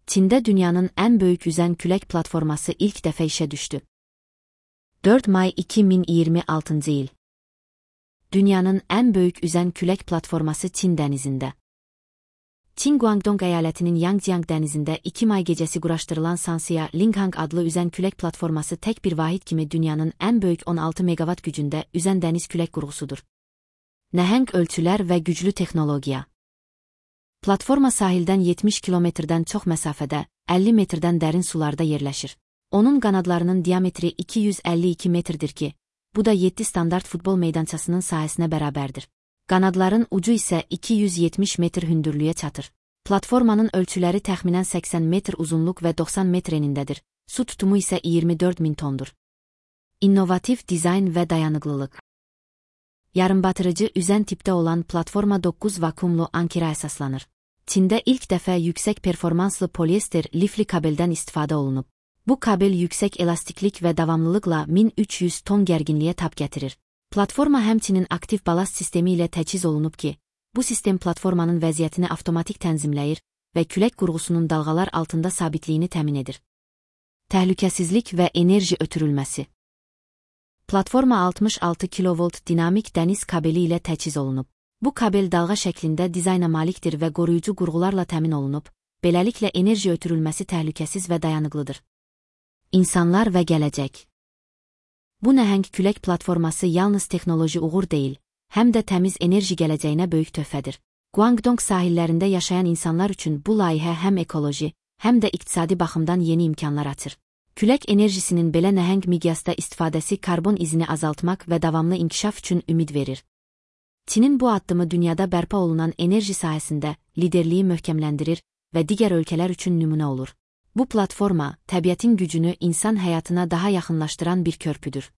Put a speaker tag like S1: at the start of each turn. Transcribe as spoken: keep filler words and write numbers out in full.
S1: Çində dünyanın ən böyük üzən külək platforması ilk dəfə işə düşdü. dörd may iki min iyirmi altıncı il. Dünyanın ən böyük üzən külək platforması Çin dənizində. Çin Guangdong əyalətinin Yangjiang dənizində iki may gecəsi quraşdırılan Sanxia Linghang adlı üzən külək platforması tək bir vahid kimi dünyanın ən böyük on altı meqavat gücündə üzən dəniz külək qurğusudur. Nəhəng ölçülər və güclü texnologiya. Platforma sahildən yetmiş kilometrdən çox məsafədə, əlli metrdən dərin sularda yerləşir. Onun qanadlarının diametri iki yüz əlli iki metrdir ki, bu da yeddi standart futbol meydançasının sahəsinə bərabərdir. Qanadların ucu isə iki yüz yetmiş metr hündürlüyə çatır. Platformanın ölçüləri təxminən səksən metr uzunluq və doxsan metr enindədir. Su tutumu isə iyirmi dörd min tondur. İnnovativ dizayn və dayanıqlılıq. Yarımbatırıcı üzən tipdə olan platforma doqquz vakuumlu ankera əsaslanır. Çində ilk dəfə yüksək performanslı polyester lifli kabeldən istifadə olunub. Bu kabel yüksək elastiklik və davamlılıqla min üç yüz ton gərginliyə tab gətirir. Platforma həmçinin aktiv balast sistemi ilə təchiz olunub ki, bu sistem platformanın vəziyyətini avtomatik tənzimləyir və külək qurğusunun dalğalar altında sabitliyini təmin edir. Təhlükəsizlik və enerji ötürülməsi. Platforma altmış altı kilovolt dinamik dəniz kabeli ilə təchiz olunub. Bu kabel dalğa şəklində dizayna malikdir və qoruyucu qurğularla təmin olunub, beləliklə enerji ötürülməsi təhlükəsiz və dayanıqlıdır. İnsanlar və gələcək. Bu nəhəng külək platforması yalnız texnoloji uğur deyil, həm də təmiz enerji gələcəyinə böyük töhfədir. Guangdong sahillərində yaşayan insanlar üçün bu layihə həm ekoloji, həm də iqtisadi baxımdan yeni imkanlar açır. Külək enerjisinin belə nəhəng miqyasda istifadəsi karbon izini azaltmaq və davamlı inkişaf üçün ümid verir. Çinin bu addımı dünyada bərpa olunan enerji sahəsində liderliyi möhkəmləndirir və digər ölkələr üçün nümunə olur. Bu platforma, təbiətin gücünü insan həyatına daha yaxınlaşdıran bir körpüdür.